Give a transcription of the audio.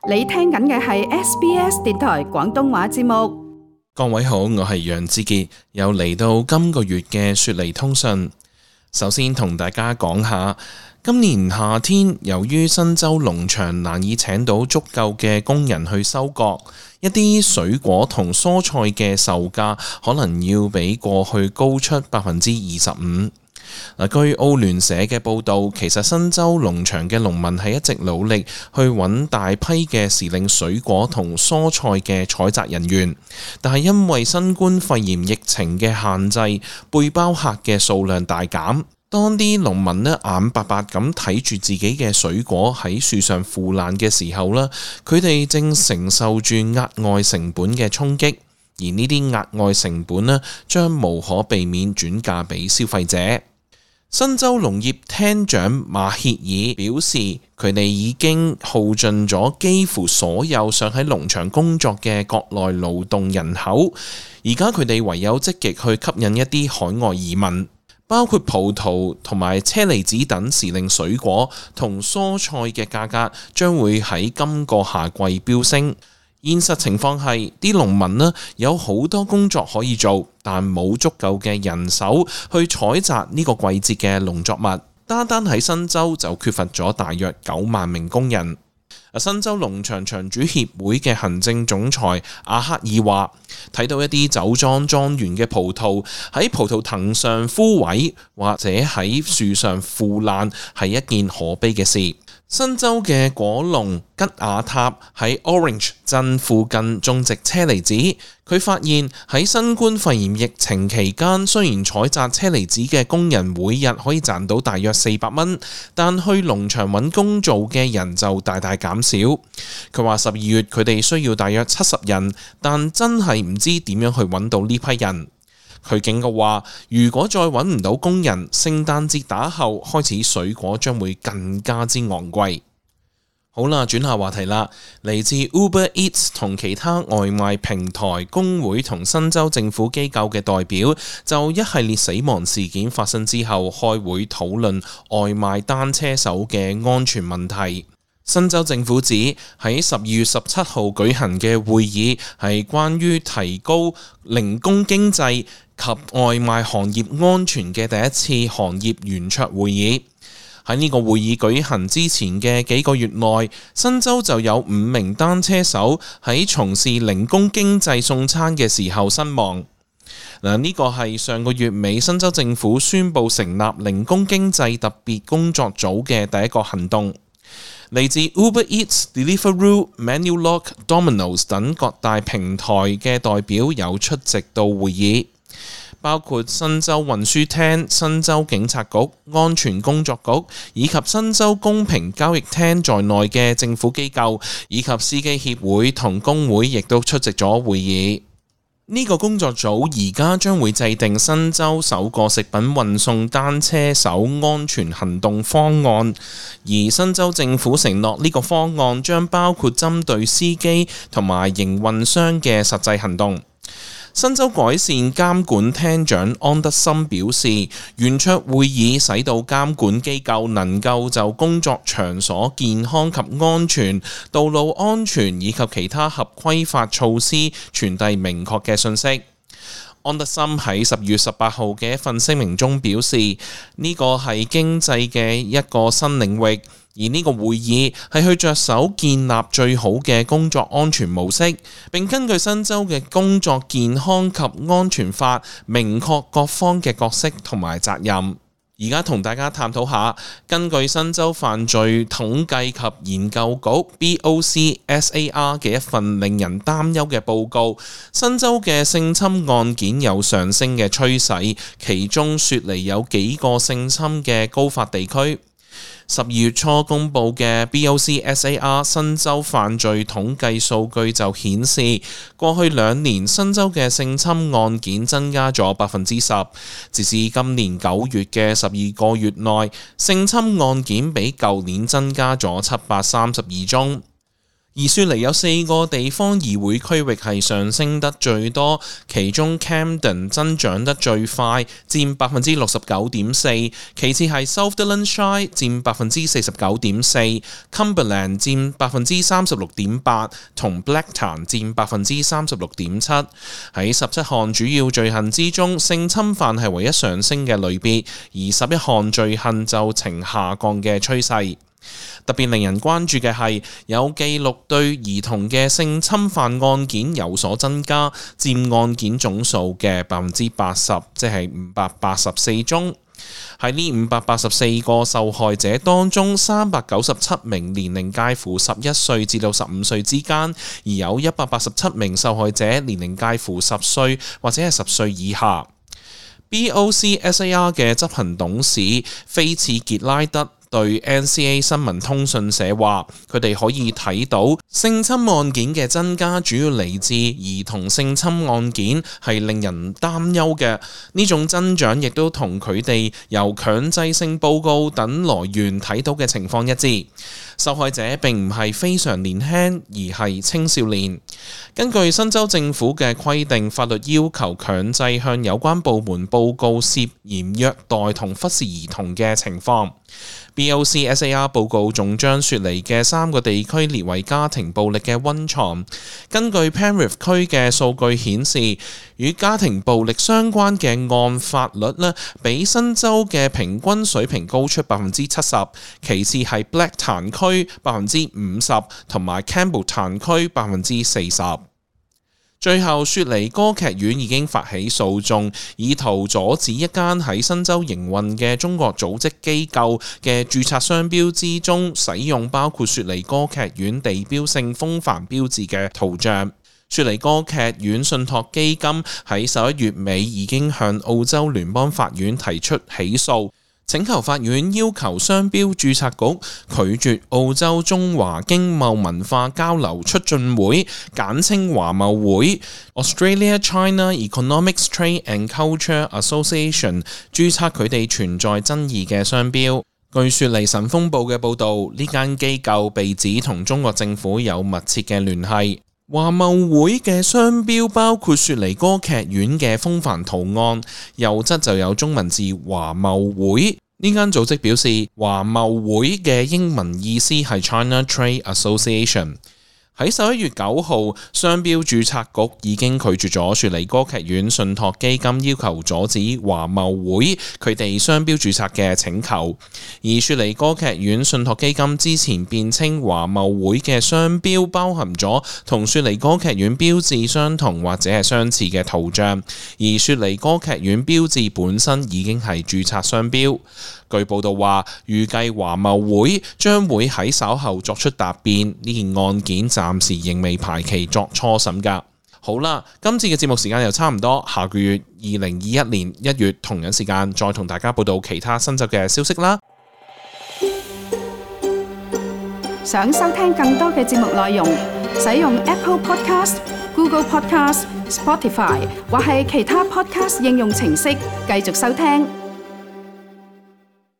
你聽緊嘅係 SBS 電台廣東話節目。各位好，我係楊志傑，又嚟到今個月嘅雪梨通訊。首先同大家講下，今年夏天由於新州農場難以請到足夠嘅工人去收割，一啲水果同蔬菜嘅售價可能要比過去高出25%。據澳聯社嘅報導，其實新州農場嘅農民係一直努力去揾大批嘅時令水果同蔬菜嘅採摘人員，但係因為新冠肺炎疫情嘅限制，背包客嘅數量大減。當啲農民眼白白咁睇住自己嘅水果喺樹上腐爛嘅時候呢，佢哋正承受住額外成本嘅衝擊，而呢啲額外成本呢，將無可避免轉嫁俾消費者。新州農業廳長馬歇爾表示，佢哋已經耗盡咗幾乎所有想喺農場工作嘅國內勞動人口，而家佢哋唯有積極去吸引一啲海外移民，包括葡萄同埋車厘子等時令水果同蔬菜嘅價格將會喺今個夏季飆升。現實情況係，啲農民有好多工作可以做，但冇足夠嘅人手去採摘呢個季節嘅農作物。單喺新州就缺乏咗大約9萬名工人。新州農場場主協會嘅行政總裁阿克爾話，睇到一啲酒莊莊園嘅葡萄喺葡萄藤上枯萎或者喺樹上腐爛係一件可悲嘅事。新州嘅果農吉亞塔喺 Orange 鎮附近種植車厘子，佢發現喺新冠肺炎疫情期間，雖然採摘車厘子嘅工人每日可以賺到大約400蚊，但去農場揾工做嘅人就大大減少。佢話12月佢哋需要大約70人，但真係唔知點樣去揾到呢批人。佢警告話，如果再揾唔到工人，聖誕節打後開始水果將會更加之昂貴。好啦，轉下話題啦。嚟自 Uber Eats 同其他外賣平台、工會同新州政府機構嘅代表，就一系列死亡事件發生之後開會討論外賣單車手嘅安全問題。新州政府指喺12月17號舉行嘅會議係關於提高零工經濟及外賣行業安全嘅第一次行業圓桌會議。喺呢個會議舉行之前嘅幾個月內，新州就有5名單車手喺從事零工經濟送餐嘅時候身亡。呢個係上個月尾新州政府宣布成立零工經濟特別工作組嘅第一個行動。嚟自 Uber Eats、Deliveroo、Manulife、Domino's 等各大平台嘅代表有出席到會議，包括新州運輸廳、新州警察局、安全工作局以及新州公平交易廳在內嘅政府機構以及司機協會同工會亦都出席咗會議。呢個工作組而家將會制定新州首個食品運送單車手安全行動方案，而新州政府承諾呢個方案將包括針對司機同埋營運商嘅實際行動。新州改善監管廳長安德森表示，圓桌會議使到監管機構能夠就工作場所健康及安全、道路安全以及其他合規法措施傳遞明確嘅信息。安德森喺12月18號嘅一份聲明中表示，呢個係經濟嘅一個新領域，而呢個會議係去着手建立最好嘅工作安全模式，並根據新州嘅工作健康及安全法，明確各方嘅角色同埋責任。而家同大家探討下，根據新州犯罪統計及研究局 BOCSAR 嘅一份令人擔憂嘅報告，新州嘅性侵案件有上升嘅趨勢，其中雪梨有幾個性侵嘅高發地區。12月初公布嘅 BOCSAR 新州犯罪統計數據就顯示，過去2年新州嘅性侵案件增加咗10%，直至今年9月嘅12個月內，性侵案件比舊年增加咗732宗。而雪梨有4個地方議會區域係上升得最多，其中 Camden 增長得最快，佔 69.4%， 其次係 Sutherland Shire 佔 49.4%， Cumberland 佔 36.8%， 同 Blacktown 佔 36.7%。喺17項主要罪行之中，性侵犯係唯一上升嘅類別，而11項罪行就呈下降嘅趨勢。特別令人關注嘅係，有記錄對兒童嘅性侵犯案件有所增加，佔案件總數嘅 80%， 即係584宗。喺呢584個受害者當中，397名年齡介乎11歲至到15歲之間，而有187名受害者年齡介乎10歲或者係10歲以下。BOCSAR 嘅執行董事菲茨傑拉德對 NCA 新聞通訊社話，佢哋可以睇到性侵案件嘅增加主要嚟自兒童性侵案件，係令人擔憂嘅。呢種增長亦都同佢哋由強制性報告等來源睇到嘅情況一致。受害者並唔係非常年輕，而係青少年。根據新州政府嘅規定，法律要求強制向有關部門報告涉嫌虐待同忽視兒童嘅情況。BOCSAR 報告仲將雪梨嘅3個地區列為家庭暴力嘅溫床。根據 Penrith 區嘅數據顯示，與家庭暴力相關嘅案發率呢，比新州嘅平均水平高出 70%， 其次係 Blacktown 區 50%， 同埋 Campbelltown 區 40%。最後，雪梨歌劇院已經發起訴訟，以圖阻止一間喺新州營運嘅中國組織機構嘅註冊商標之中使用包括雪梨歌劇院地標性風帆標誌嘅圖像。雪梨歌劇院信託基金喺11月尾已經向澳洲聯邦法院提出起訴，請求法院要求商標註冊局拒絕澳洲中華經貿文化交流促進會簡稱華貿會 Australia-China Economics Trade and Culture Association 註冊佢哋存在爭議嘅商標。據雪梨晨鋒報嘅報導，呢間機構被指同中國政府有密切嘅聯繫。華貿會嘅商標包括雪梨歌劇院嘅風帆圖案，右側就有中文字華貿會。呢間組織表示，華貿會嘅英文意思係 China Trade Association。喺11月9號，商標註冊局已經拒絕咗雪梨歌劇院信託基金要求阻止華貿會佢哋商標註冊嘅請求。而雪梨歌劇院信託基金之前辯稱華貿會嘅商標包含咗同雪梨歌劇院標誌相同或者係相似嘅圖像，而雪梨歌劇院標誌本身已經係註冊商標。據報道話，預計華貿會將會喺稍後作出答辯，呢件案件暫時仍未排期作初審㗎。好啦，今次嘅節目時間又差唔多，下個月2021年1月同樣時間再同大家報道其他新州嘅消息啦。想收聽更多嘅節目內容，使用 Apple Podcast、Google Podcast、Spotify 或係其他 Podcast 應用程式繼續收聽。